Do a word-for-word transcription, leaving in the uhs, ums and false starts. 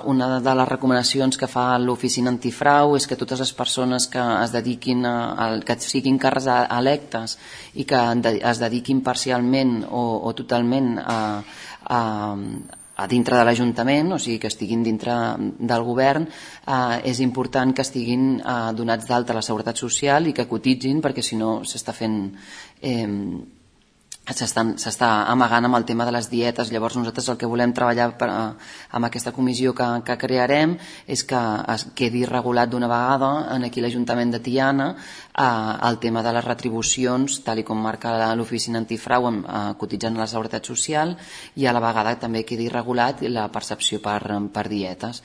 Una de les recomanacions que fa l'Oficina Antifrau és que totes les persones que es dediquin a, a, que siguin càrrecs electes i que es dediquin parcialment o, o totalment a, a, a dintre de l'Ajuntament, o sigui que estiguin dintre del govern, eh, és important que estiguin eh, donats d'alta a la Seguretat Social i que cotitzin, perquè si no s'està fent... Eh, s'està amagant amb el tema de les dietes. Llavors nosaltres el que volem treballar per, amb aquesta comissió que, que crearem és que es quedi regulat d'una vegada en aquí l'Ajuntament de Tiana eh, el tema de les retribucions tal i com marca l'Oficina Antifrau eh, cotitzant a la Seguretat Social, i a la vegada també quedi regulat la percepció per, per dietes.